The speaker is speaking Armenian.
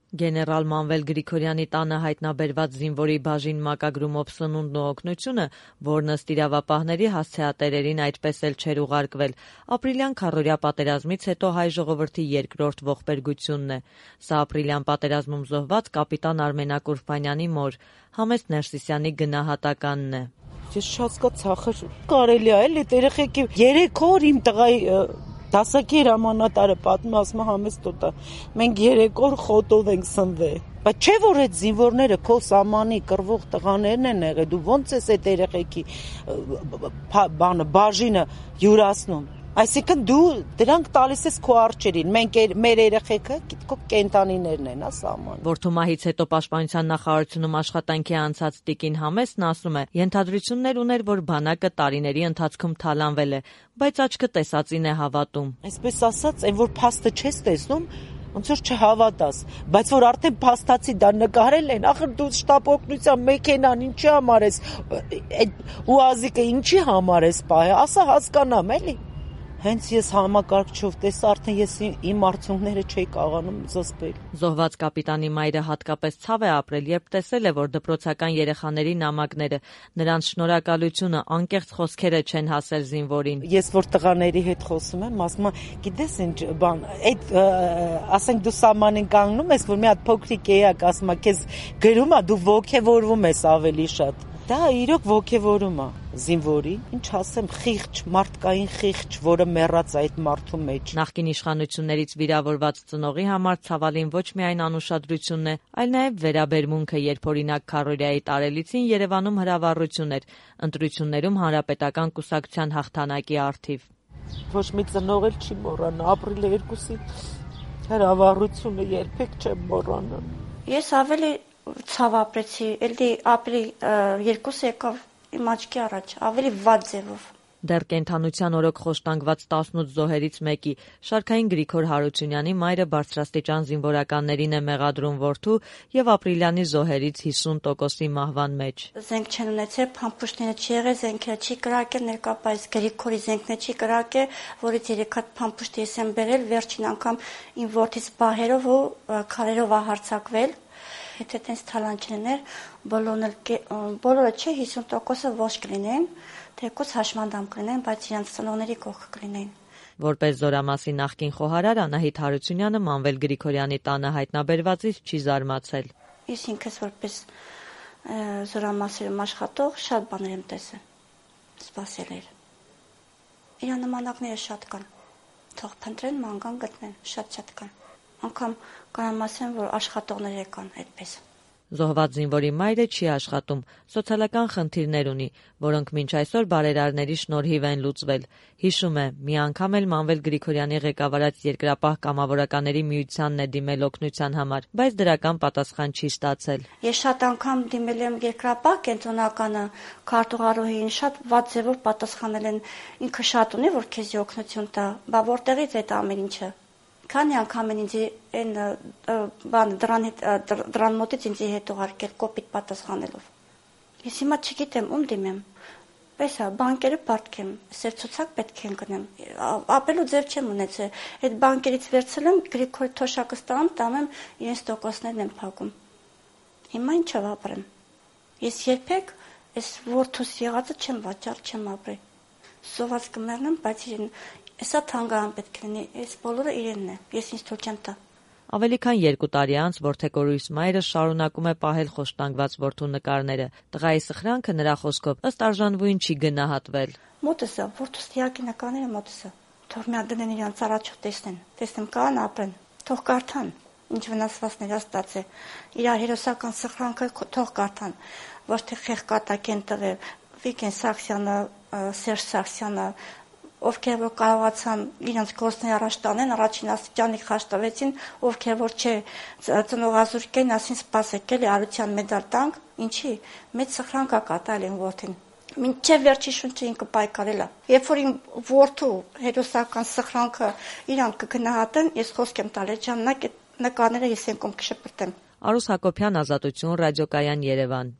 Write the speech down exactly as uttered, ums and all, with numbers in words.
Գեներալ Մանվել Գրիգորյանի տանը հայտնաբերված զինվորի բաժին մակագրումով սնունդն ու օգնությունը, որն ըստ իրավապահների հասցեատերերին այդպես էլ չէր ուղարկվել, ապրիլյան քառօրյա պատերազմից հետո հայ ժողովրդի երկրորդ ողբերգությունն է։ Սա ապրիլյան պատերազմում զոհված կապիտան Արմենակ Ուրբանյանի մոր Համեստ Ներսիսյանի գնահատականն է։ Ես շատ կծախր կարելի է էլի երեխեքի երեք օր իմ տղայի դասակի հրամանատարը պատմում ասում Համեստ տոտա մենք երեք օր խոտով ենք սնվել։ Բայց չէ որ այդ զինվորները քո սամանի կռվող տղաներն են եղել, դու ո՞նց ես այդ երեխեքի բանը բաժինը յուրացնում։ Այսինքն դու դրանք տալիս ես քո արջերին, մենք մեր երեխեքը քո կենտանիներն են, հա, սաման։ Որդումահից հետո Պաշտպանության նախարարությունում աշխատանքի անցած Տիկին Համեսն ասում է, ենթադրություններ ուներ, որ բանակը տարիների ընթացքում թալանվել է, բայց աչքը տեսածին է հավատում։ Այսպես ասած, այն որ փաստը չես տեսնում, ոնց որ չհավատաս, բայց որ արդեն փաստացի դա նկարել են, ախր դու շտապ օգնության մեքենան ինչի համար ես, այդ ուազիկը ինչի համար ես պահե, ասա հասկանամ, էլի։ Հենց ես համակարգչով տեսա, արդեն ես իմ արդյունքները չէի կարողանում զսպել։ Զոհված կապիտանի մայրը հատկապես ցավ է ապրել, երբ տեսել է, որ դպրոցական երեխաների նամակները, նրանց շնորհակալությունը, անկեղծ խոսքերը չեն հասել զինվորին։ Ես որ տղաների հետ խոսում եմ, ասում եմ, գիտես ինչ բան, այդ ասենք դու սամանին կանգնում ես, որ մի հատ փոքրիկ էակ ասում է, քեզ գրում է, դու ոգևորվում ես ավելի շատ։ Դա իրոք ոգևորում է զինվորի, ինչ ասեմ, խիղճ, մարդկային խիղճ, որը մեռած այդ մարդու մեջ։ Նախկին իշխանություններից վիրավորված ծնողի համար ցավալին ոչ միայն անուշադրությունն է, այլ նաև վերաբերմունքը, երբ օրինակ քառօրյայի տարելիցին Երևանում հրավառություն էր, ընտրություններում հանրապետական կուսակցության հաղթանակի առթիվ։ Ոչ մի ծնող էլ չի մոռանա, ապրիլի երկուսի հրավառությունը երբեք չեմ մոռանա։ Ես ավելի ցավ ապրեցի, էլի ապրիլի երկուսը եկավ իմ աչքի առաջ, ավելի վատ ձևով։ Դեռ կենդանության օրոք խոշտանգված տասնութ զոհերից մեկի Շարքային Գրիգոր Հարությունյանի մայրը բարձրաստիճան զինվորականներին է մեղադրում որդու եւ ապրիլյանի զոհերից հիսուն տոկոսի մահվան մեջ։ Զենք չեն ունեցել, փամփուշտները չի եղել, զենքերը չի կրակել, ներկայապես Գրիգորի զենքները չի կրակել, որից երեք հատ փամփուշտ ես եմ բերել, վերջին անգամ իմ որդից բահերով ու քարերով է հարձակվել։ Եթե տենց թալան չլիներ, բոլորը չէ, հիսուն տոկոսը ոչ կլինեն, թեկուզ հաշմանդամ կլինեն, բայց իրենց ծնողների կողքը կլինեն։ Որպես Զորամասի նախկին խոհարար Անահիտ Հարությունյանը Մանվել Գրիգորյանի տանը հայտնաբերվածից չի զարմացել։ Ես ինքս որպես Զորամասերում աշխատող շատ բաներ եմ տեսել, սպասել էր։ Իր նմանակները շատ կան, թող փնտրեն, ման գտնեն, շատ-շատ կան։ Անկամ կարամ ասեմ, որ աշխատողներ կան այդպես։ Զոհված զինվորի մայրը չի աշխատում, սոցիալական խնդիրներ ունի, որոնք մինչ այսօր բարերարների շնորհիվ են լուծվել։ Հիշում է, մի անգամ էլ Մանվել Գրիգորյանի ղեկավարած Երկրապահ կամավորականների միությանն է դիմել օգնության համար, բայց դրական պատասխան չի ստացել։ Ես շատ անգամ դիմել եմ Երկրապահ կենտրոնականը, քարտուղարուհին շատ վատ ձևով պատասխանել են, ինքը շատ ունի, որ քեզի օգնություն տա, բա որտեղից այդ ամեն ինչը։ Քանի անգամ են ինձ այն բան դրան դրան մոտից ինձ հետ ուղարկել կոպիտ պատասխանելով։ Ես հիմա չգիտեմ ում դիմեմ։ Պես է, բանկերը պարտքեմ, սեր ցուցակ պետք է գնեմ։ Ապելու ձև չեմ ունեցել։ Այդ բանկերից վերցել եմ Գրիգորի թոշակը ստանում, տանեմ իրենց տոկոսներն եմ փակում։ Հիմա ինչով ապրեմ։ Ես երբեք այս որդուս եղածը չեմ վաճառ, չեմ ապրել։ Սոված կմեռնեմ, բայց իրեն Էսա թանգարան պետք է լինի, այս բոլորը իրենն է, ես ինձ թույլ չեմ տա։ Ավելի քան երկու տարի անց որդեկորույս մայրը շարունակում է պահել խոշտանգված որդու նկարները։ Տղայի սխրանքը նրա խոսքով ըստ արժանվույն չի գնահատվել։ Մոտս է, որդուս տիակի նկարները մոտս է։ Թող մի հատ դնեն իրանց առաջով տեսնեն, տեսնեմ կան ապրեն, թող կարդան, ինչ վնասվածքներ է ստացել։ Իր հերոսական սխրանքը թող կարդան, ոչ թե խեղկատակ են տվել Վիգեն Սաքսյանը, Սերժ Սաքսյանը, ովքեր որ կարողացան իրենց գործները առաջ տանեն, առաջին աստիճանի խաչ տվեցին, ովքեր որ չէ ծնողազուրկեն, ասին սպասեք, էլի արության մեդալ տանք, ինչի, մեծ սխրանք է կատարել են որդին։ Մինչև վերջի շունչը ինքը պայքարել է։ Երբ որ իմ որդու հերոսական սխրանքը իրանք կգնահատեն, ես խոսք եմ տալ, այդ ժամանակ այդ նկարները ես ենքում կշպրտեմ։ Արուս Հակոբյան, Ազատություն, Ռադիոկայան, Երևան։